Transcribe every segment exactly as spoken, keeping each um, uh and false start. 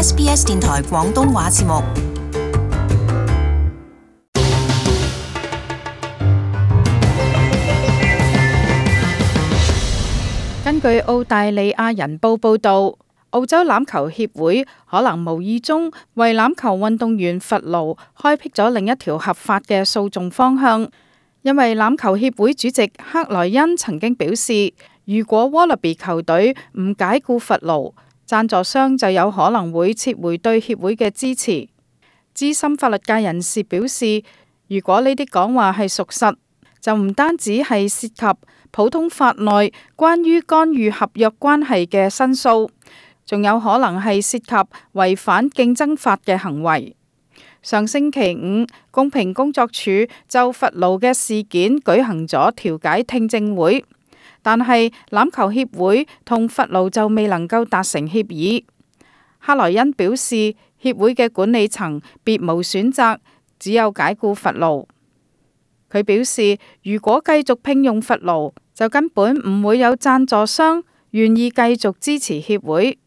S B S 電台廣東話節目。根據澳大利亞人報報導，澳洲欖球協會可能無意中為欖球運動員罰勞開闢咗另一條合法嘅訴訟方向，因為欖球協會主席克萊恩曾經表示，如果 Wallaby 球隊唔解僱罰勞，贊助商就有可能會撤回對協會嘅支持。資深法律界人士表示，如果呢啲講話係屬實，就唔單止係涉及普通法內關於干預合約關係嘅申訴，仲有可能係涉及違反競爭法嘅行為。上星期五，公平工作處就罰勞嘅事件舉行咗調解聽證會，但係欖球協會同罰勞就未能夠達成協議。克萊恩表示，協會嘅管理層別無選擇，只有解僱罰勞。佢表示，如果繼續聘用罰勞，就根本唔會有贊助商願意繼續支持協會。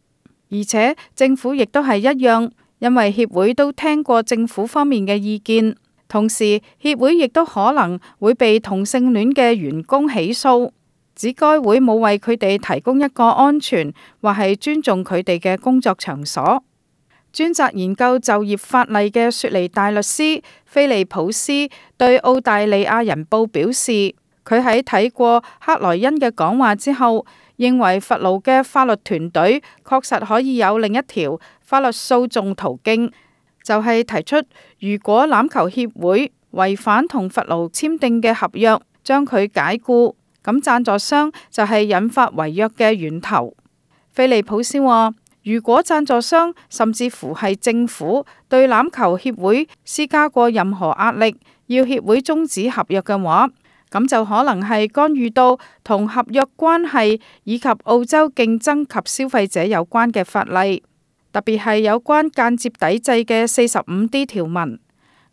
而且政府亦都係一樣，因為協會都聽過政府方面嘅意見，同時協會亦都可能會被同性戀嘅員工起訴，指該會冇為佢哋提供一個安全或係尊重佢哋嘅工作場所。專責研究就業法例嘅雪梨大律師菲利普斯對澳大利亞人報表示，佢喺睇過克萊恩嘅講話之後，認為罰勞嘅法律團隊確實可以有另一條法律訴訟途徑，就係、是、提出如果欖球協會違反同罰勞簽訂嘅合約，將佢解僱，咁贊助商就係引發違約嘅源頭。菲利普斯話，如果贊助商甚至乎係政府對欖球協會施加過任何壓力，要協會終止合約嘅話，咁就可能係干預到同合約關係以及澳洲競爭及消費者有關嘅法例，特別係有關間接抵制嘅四十五 D 條文。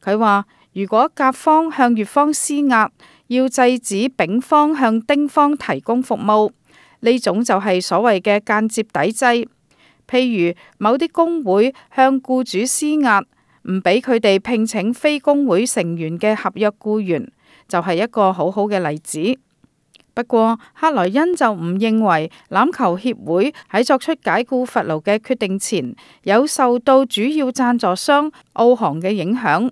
佢話，如果甲方向乙方施壓，要制止丙方向丁方提供服務，呢種就係所謂嘅間接抵制。譬如某啲工會向僱主施壓，唔俾佢哋聘請非工會成員嘅合約僱員，就係一個好好嘅例子。不過克萊恩就唔認為欖球協會喺作出解僱罰勞嘅決定前有受到主要贊助商澳航嘅影響。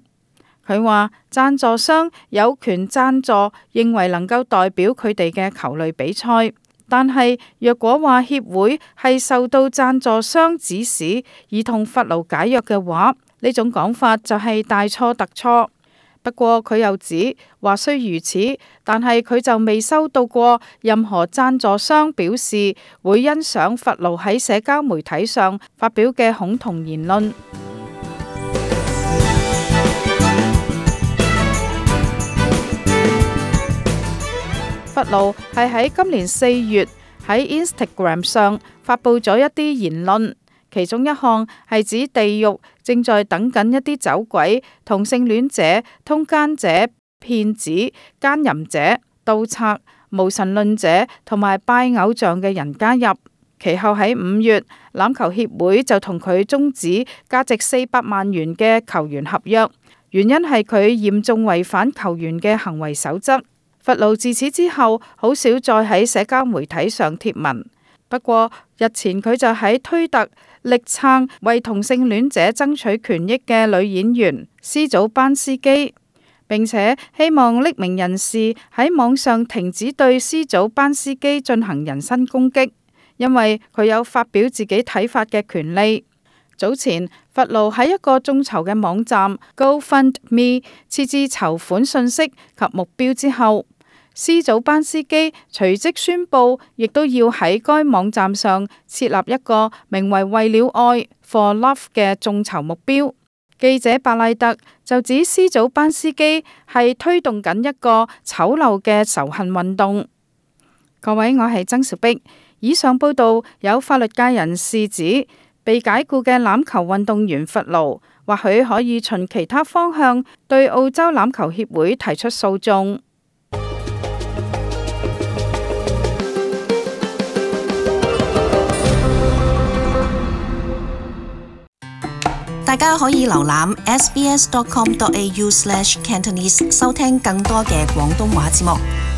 佢話贊助商有權贊助認為能夠代表佢哋嘅球類比賽，但係若果話協會係受到贊助商指使而同罰勞解約嘅話，呢種講法就係大錯特錯。不過佢又指，話雖如此，但係佢就未收到過任何贊助商表示會欣賞罰勞喺社交媒體上發表嘅恐同言論。罰勞係喺今年四月喺 Instagram 上發佈咗一啲言論，其中一項係指地獄正在等緊一啲走鬼、同性戀者、通姦者、騙子、姦淫者、盜賊、無神論者同埋拜偶像嘅人加入。其後喺五月，欖球協會就同佢終止價值四百萬元嘅球員合約，原因係佢嚴重違反球員嘅行為守則。罰勞自此之後好少再喺社交媒體上貼文。不過日前佢就喺推特力撐為同性戀者爭取權益嘅女演員斯祖班斯基，並且希望匿名人士喺網上停止對斯祖班斯基進行人身攻擊，因為佢有發表自己睇法嘅權利。早前罰勞喺一個眾籌嘅網站 GoFundMe 設置籌款信息及目標之後，斯祖班斯基隨即宣布，亦都要喺該網站上設立一個名為為了愛 For Love 嘅眾籌目標。記者白賴特就指斯祖班斯基係推動緊一個醜陋嘅仇恨運動。各位，我係曾兆碧。以上報道有法律界人士指，被解僱嘅欖球運動員罰勞，或許可以循其他方向對澳洲欖球協會提出訴訟。大家可以瀏覽 s b s dot com dot a u slash cantonese 收聽更多嘅廣東話節目。